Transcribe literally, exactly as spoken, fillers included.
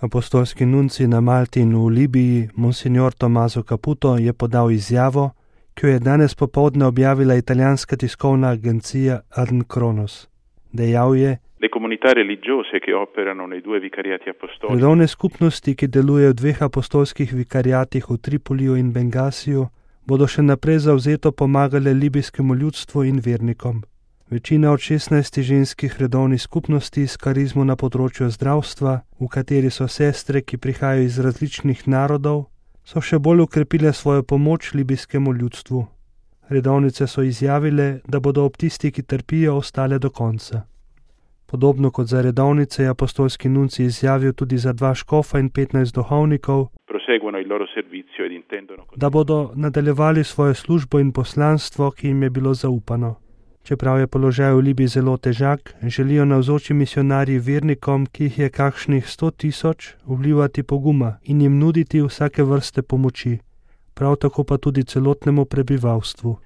Apostolski nunci na Malti in v Libiji, monsignor Tommaso Caputo, je podal izjavo, ki jo je danes popoldne objavila italijanska tiskovna agencija Adn Kronos. Dejal je: Le comunità religiose che operano nei due vicariati apostolici. Redovne skupnosti, ki delujejo v dveh apostolskih vikariatih v Tripoliju in Bengasiju, bodo še naprej zavzeto pomagale libijskemu ljudstvu in vernikom. Večina od šestnajstih ženskih redovnih skupnosti s karizmo na področju zdravstva, v kateri so sestre, ki prihajajo iz različnih narodov, so še bolj ukrepile svojo pomoč libijskemu ljudstvu. Redovnice so izjavile, da bodo ob tisti, ki trpijo, ostale do konca. Podobno kot za redovnice je apostolski nunci izjavil tudi za dva škofa in petnajst duhovnikov, da bodo nadaljevali svojo službo in poslanstvo, ki jim je bilo zaupano. Čeprav je položaj v Libiji zelo težak, želijo navzoči misionarji vernikom, ki jih je kakšnih sto tisoč, vlivati poguma in jim nuditi vsake vrste pomoči, prav tako pa tudi celotnemu prebivalstvu.